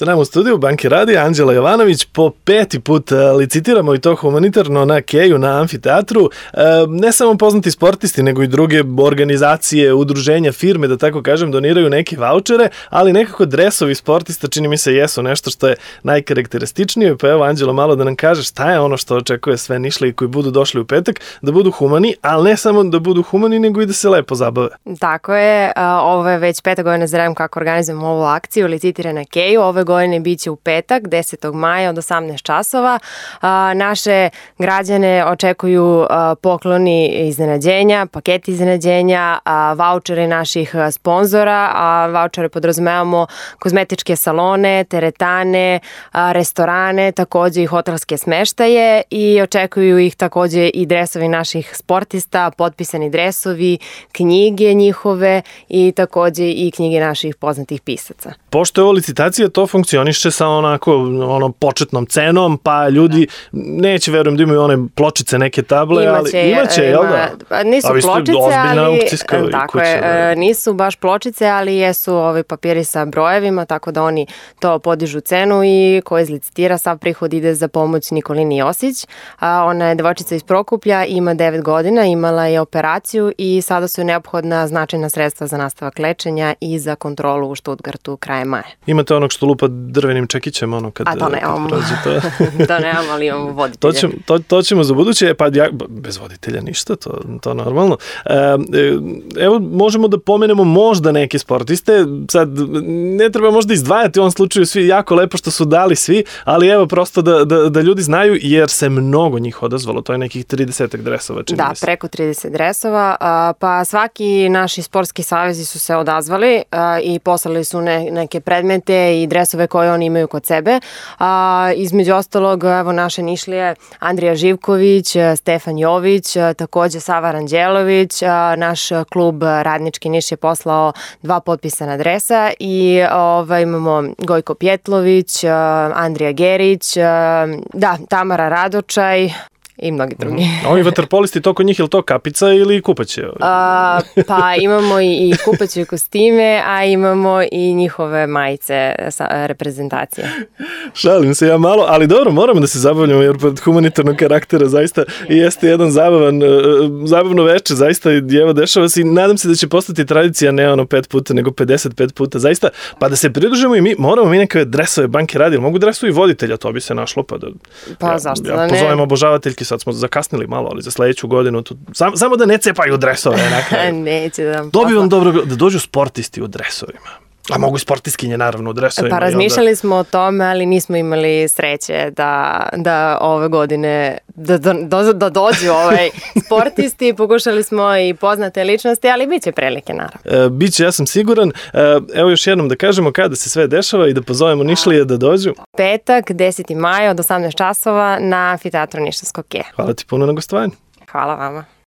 Sa nama u studiju Banke Radija Anđela Jovanović. Po 5. put licitiramo i to humanitarno na Keju, na amfiteatru. Ne samo poznati sportisti, nego i druge organizacije, udruženja, firme, da tako kažem, doniraju neke vaučere, ali nekako dresovi sportista čini mi se jesu nešto što je najkarakterističnije. Pa evo, Anđelo, malo da nam kaže šta je ono što očekuje sve Nišlije koji budu došli u petak, da budu humani, ali ne samo da budu humani, nego i da se lepo zabave. Tako je, ovo je već 5. godina za redom kako organizujemo ovu akciju Licitire na Keju. Ove godine biće u petak, 10. maja od 18 časova. Naše građane očekuju pokloni iznenađenja, paketi iznenađenja, vaučere naših sponzora, a vaučere podrazumevamo kozmetičke salone, teretane, restorane, takođe i hotelske smeštaje i očekuju ih takođe i dresovi naših sportista, potpisani dresovi, knjige njihove i takođe i knjige naših poznatih pisaca. Pošto je ovo licitacija, to funkcioniše sa onako početnom cenom, pa ljudi neće, verujem, da imaju one pločice, neke table, imaće, jel da? Nisu pločice, ali tako je, nisu baš pločice, ali jesu ovi papiri sa brojevima, tako da oni to podižu cenu i ko izlicitira, sav prihod ide za pomoć Nikolini Josić. Ona je devojčica iz Prokuplja, ima 9 godina, imala je operaciju i sada su neophodna značajna sredstva za nastavak lečenja i za kontrolu u Stuttgartu krajem maja. Imate onog što lupa drvenim čekićem, ono kad to nemamo. To nemamo, ali imamo voditelja. To ćemo za buduće, pa bez voditelja ništa, to normalno. Evo, možemo da pomenemo možda neke sportiste, sad ne treba možda izdvajati u ovom slučaju svi jako lepo što su dali svi, ali evo prosto da ljudi znaju, jer se mnogo njih odazvalo, to je nekih 30 dresova, čini mi se. Da, preko 30 dresova, pa svaki naši sportski savezi su se odazvali i poslali su neke predmete i dresove koje oni imaju kod sebe. Između ostalog, evo naše Nišlije, Andrija Živković, Stefan Jović, takođe Sava Ranđelović, naš klub Radnički Niš je poslao 2 potpisana dresa i imamo Gojko Pjetlović, Andrija Gerić, Tamara Radočaj i mnogi drugi. Ovi vaterpolisti, to kod njih, je li to kapica ili kupaće? Pa imamo i kupaće kostime, a imamo i njihove majice sa reprezentacije. Šalim se ja malo, ali dobro, moramo da se zabavljamo, jer pod humanitarnog karaktera zaista jeste jedan zabavno veče, zaista evo dešava se i nadam se da će postati tradicija ne 5 puta, nego 55 puta, zaista, pa da se pridružimo i mi, moramo mi neke dresove Banke Radija, mogu dresovi voditelja, to bi se našlo, pa zašto da ne? Pozovem obožavateljki, sad smo zakasnili malo, ali za sledeću godinu samo da ne cepaju dresove na kraju. Neće da vam Dobio vam dobro da dođu sportisti u dresovima. A mogu i sportistkinje naravno u dresovima. Pa razmišljali smo o tome, ali nismo imali sreće da ove godine da dođu sportisti. Pokušali smo i poznate ličnosti, ali bit će prilike naravno. Biće, ja sam siguran. Evo još jednom da kažemo kada se sve dešava i da pozovemo Nišlije da dođu. Petak, 10. maja od 18 časova na amfiteatru Nišavskog Keja. Hvala ti puno na gostovanju. Hvala vama.